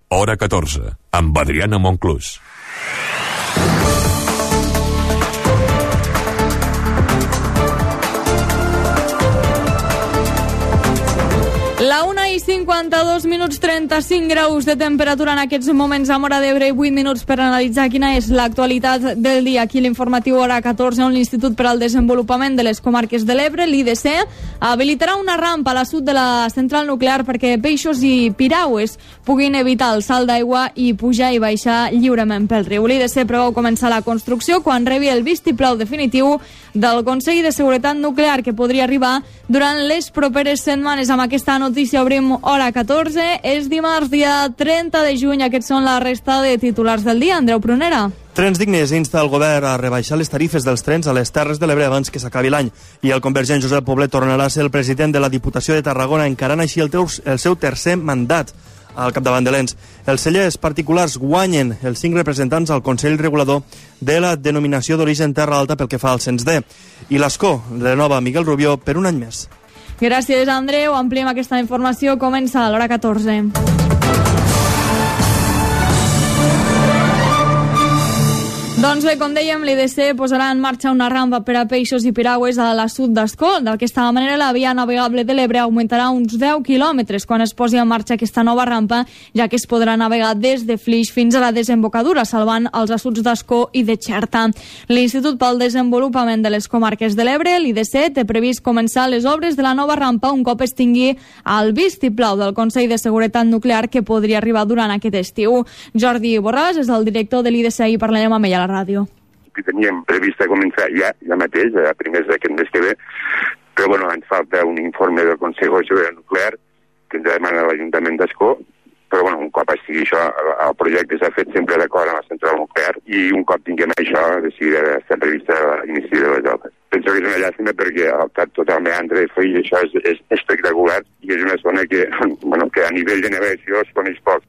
Hora 14, amb Adriana Monclús. La 1:52, 35 graus de temperatura en aquests moments a Móra d'Ebre i 8 minuts per analitzar quina és l'actualitat del dia. Aquí l'informatiu Hora 14, on l'Institut per al Desenvolupament de les Comarques de l'Ebre, l'IDC, habilitarà una rampa a la sud de la central nuclear perquè peixos i piragües puguin evitar el salt d'aigua i pujar i baixar lliurement pel riu. L'IDC preveu començar la construcció quan rebi el vistiplau definitiu del Consell de Seguretat Nuclear, que podria arribar durant les properes setmanes. Amb aquesta notícia obrim Hora 14. És dimarts, dia 30 de juny. Aquests són la resta de titulars del dia. Andreu Prunera. Trens Dignes insta el govern a rebaixar les tarifes dels trens a les Terres de l'Ebre abans que s'acabi l'any. I el convergent Josep Poblet tornarà a ser el president de la Diputació de Tarragona, encarant així el seu tercer mandat al capdavant de l'ENS. Els cellers particulars guanyen els 5 representants al Consell Regulador de la denominació d'origen Terra Alta pel que fa al cens D. I l'Escó renova Miguel Rubió per un any més. Gràcies, Andreu. Ampliem aquesta informació. Comença a l'Hora 14. Doncs bé, com dèiem, l'IDC posarà en marxa una rampa per a peixos i piragües a la sud d'Escó. D'aquesta manera, la via navegable de l'Ebre augmentarà uns 10 quilòmetres quan es posi en marxa aquesta nova rampa, ja que es podrà navegar des de Flix fins a la desembocadura, salvant els assuts d'Escó i de Xerta. L'Institut pel Desenvolupament de les Comarques de l'Ebre, l'IDC, té previst començar les obres de la nova rampa un cop es tingui el vistiplau del Consell de Seguretat Nuclear, que podria arribar durant aquest estiu. Jordi Borràs és el director de l'IDC i parlarem amb ell a la ràdio. Que teníem previst començar ja mateix, a primers d'aquest mes que ve, però bueno, ens falta un informe del Consell de Seguretat Nuclear que ens demana l'Ajuntament d'Escó, però bueno, un cop estigui això, el projecte s'ha fet sempre d'acord amb la central nuclear i un cop tinguem això, decidida estar prevista l'inici de les obres. Penso que és una llàstima perquè el cap totalment entre de Flix, això és espectacular i és una zona que, bueno, que a nivell de navegació es coneix poc.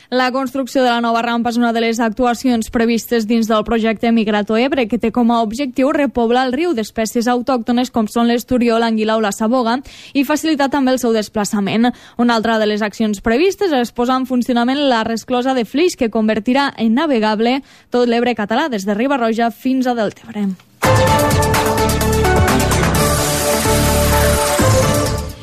La construcció de la nova rampa és una de les actuacions previstes dins del projecte Migrato Ebre, que té com a objectiu repoblar el riu d'espècies autòctones com són l'esturió, l'anguila o la saboga i facilitar també el seu desplaçament. Una altra de les accions previstes és posar en funcionament la resclosa de Flix, que convertirà en navegable tot l'Ebre català des de Riba-roja fins a Deltebre.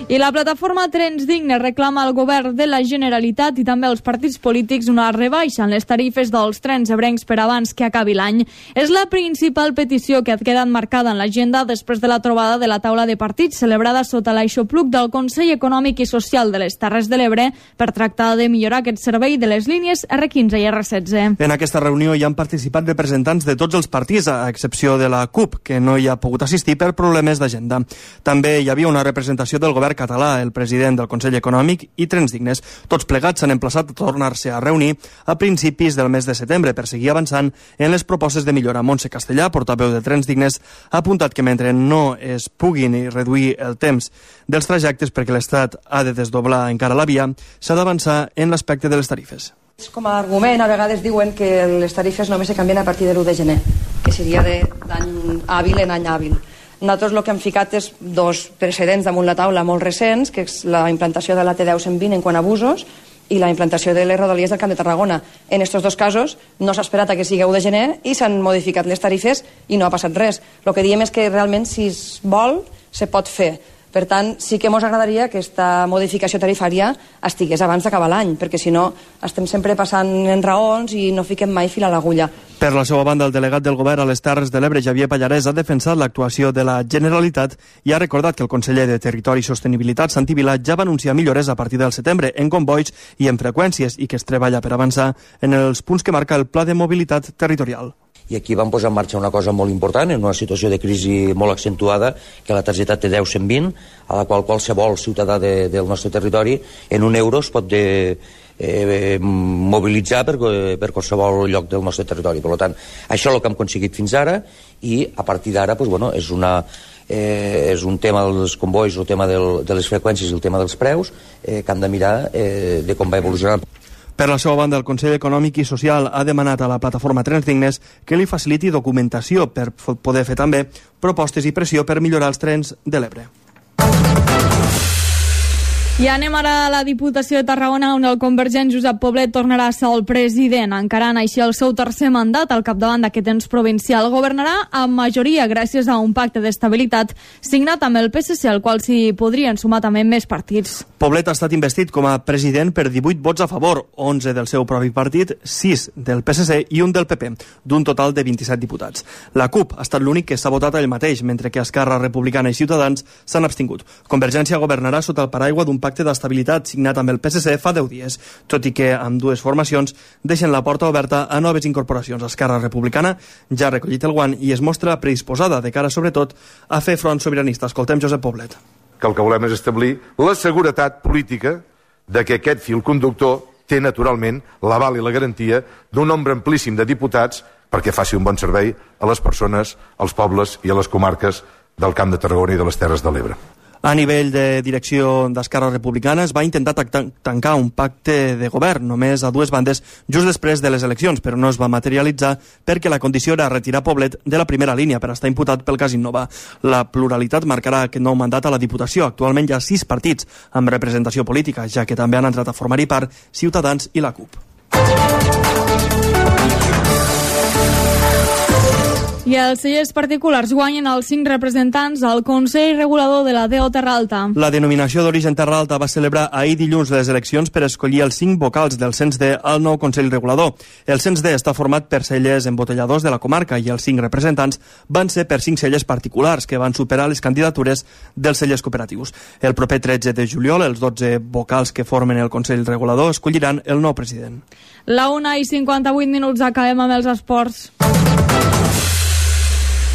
I la plataforma Trens Dignes reclama al govern de la Generalitat i també als partits polítics una rebaixa en les tarifes dels trens ebrencs per abans que acabi l'any. És la principal petició que ha quedat marcada en l'agenda després de la trobada de la taula de partits celebrada sota l'aixopluc del Consell Econòmic i Social de les Terres de l'Ebre per tractar de millorar aquest servei de les línies R15 i R16. En aquesta reunió hi han participat representants de tots els partits, a excepció de la CUP, que no hi ha pogut assistir per problemes d'agenda. També hi havia una representació del govern català, el president del Consell Econòmic i Trens Dignes. Tots plegats s'han emplaçat a tornar-se a reunir a principis del mes de setembre per seguir avançant en les propostes de millora. Montse Castellà, portaveu de Trens Dignes, ha apuntat que mentre no es puguin reduir el temps dels trajectes perquè l'Estat ha de desdoblar encara la via, s'ha d'avançar en l'aspecte de les tarifes. Com a argument, a vegades diuen que les tarifes només se canvien a partir de l'1 de gener, que seria d'any hàbil en any hàbil. Nosaltres el que hem ficat és dos precedents damunt la taula molt recents, que és la implantació de la T10-120 en quant a abusos i la implantació de les rodalies del Camp de Tarragona. En aquests dos casos no s'ha esperat a que sigui 1 de gener i s'han modificat les tarifes i no ha passat res. El que diem és que realment, si es vol, se pot fer. Per tant, sí que ens agradaria que aquesta modificació tarifària estigués abans d'acabar l'any, perquè si no estem sempre passant en raons i no fiquem mai fil a l'agulla. Per la seva banda, el delegat del govern a les Terres de l'Ebre, Javier Pallarès, ha defensat l'actuació de la Generalitat i ha recordat que el conseller de Territori i Sostenibilitat, Santi Vilà, ja va anunciar millores a partir del setembre en convois i en freqüències i que es treballa per avançar en els punts que marca el Pla de Mobilitat Territorial. I aquí vam posar en marxa una cosa molt important, en una situació de crisi molt accentuada, que la targeta T10-120, a la qual qualsevol ciutadà del nostre territori en €1 es pot mobilitzar per qualsevol lloc del nostre territori. Per tant, això és el que hem aconseguit fins ara i a partir d'ara és un tema dels convois, el tema de les freqüències i el tema dels preus que hem de mirar de com va evolucionar. Per la seva banda, el Consell Econòmic i Social ha demanat a la plataforma Trens Dignes que li faciliti documentació per poder fer també propostes i pressió per millorar els trens de l'Ebre. I anem ara a la Diputació de Tarragona, on el convergent Josep Poblet tornarà a ser el president, encarant així el seu tercer mandat al capdavant d'aquest ens provincial. Governarà amb majoria gràcies a un pacte d'estabilitat signat amb el PSC, al qual s'hi podrien sumar també més partits. Poblet ha estat investit com a president per 18 vots a favor, 11 del seu propi partit, 6 del PSC i un del PP, d'un total de 27 diputats. La CUP ha estat l'únic que s'ha votat ell mateix, mentre que Esquerra Republicana i Ciutadans s'han abstingut. Convergència governarà sota el paraigua d'un pacte d'estabilitat signat amb el PSC fa 10 dies, tot i que amb dues formacions deixen la porta oberta a noves incorporacions. Esquerra Republicana ja ha recollit el guant i es mostra predisposada de cara sobretot a fer front sobiranista. Escoltem Josep Poblet. Que el que volem és establir la seguretat política de que aquest fil conductor té naturalment l'aval i la garantia d'un nombre amplíssim de diputats perquè faci un bon servei a les persones, als pobles i a les comarques del Camp de Tarragona i de les Terres de l'Ebre. A nivell de direcció d'Esquerra Republicana es va intentar tancar un pacte de govern només a dues bandes just després de les eleccions, però no es va materialitzar perquè la condició era retirar Poblet de la primera línia per estar imputat pel cas Innova. La pluralitat marcarà aquest nou mandat a la Diputació. Actualment hi ha 6 partits amb representació política, ja que també han entrat a formar-hi part Ciutadans i la CUP. I els cellers particulars guanyen els 5 representants al Consell Regulador de la DO Terra Alta. La denominació d'origen Terra Alta va celebrar ahir dilluns les eleccions per escollir els 5 vocals del cens D al nou Consell Regulador. El cens D està format per cellers embotelladors de la comarca i els 5 representants van ser per 5 cellers particulars que van superar les candidatures dels cellers cooperatius. El proper 13 de juliol, els 12 vocals que formen el Consell Regulador escolliran el nou president. La 1:58, acabem amb els esports.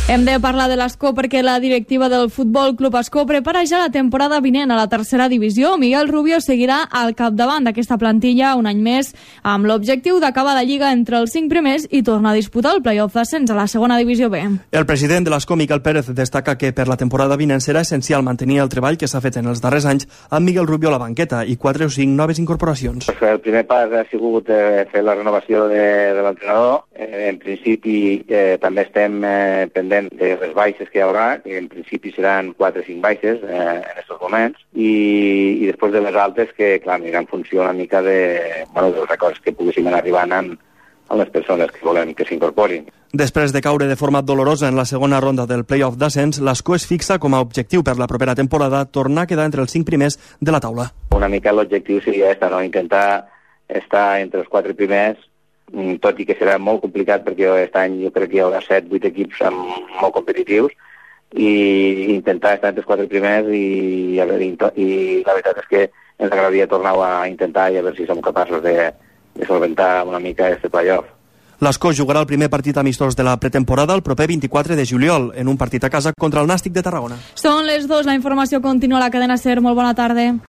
Hem de parlar de l'Escó perquè la directiva del Futbol Club Escó prepara ja la temporada vinent a la tercera divisió. Miguel Rubio seguirà al capdavant d'aquesta plantilla un any més amb l'objectiu d'acabar la Lliga entre els 5 primers i tornar a disputar el play-off d'ascens a la segona divisió B. El president de l'Escó, Miquel Pérez, destaca que per la temporada vinent serà essencial mantenir el treball que s'ha fet en els darrers anys amb Miguel Rubio a la banqueta i 4 o 5 noves incorporacions. El primer pas ha sigut fer la renovació de l'entrenador. En principi també estem pendents de les baixes que hi haurà, que en principi seran 4 o 5 baixes en aquests moments, i després de les altes que, clar, anirà en funció una mica dels acords que poguéssim anar arribant amb les persones que volem que s'incorporin. Després de caure de forma dolorosa en la segona ronda del play-off d'ascens, l'Escó es fixa com a objectiu per la propera temporada tornar a quedar entre els 5 primers de la taula. Una mica l'objectiu seria intentar estar entre els 4 primers, tot i que serà molt complicat perquè aquest any jo crec que hi haurà 7-8 equips molt competitius i intentar estar entre els 4 primers i la veritat és que ens agradaria tornar a intentar i a veure si som capaços de solventar una mica aquest play-off. L'Escó jugarà el primer partit amistós de la pretemporada el proper 24 de juliol en un partit a casa contra el Nàstic de Tarragona. Són les 2, la informació continua a la cadena SER. Molt bona tarda.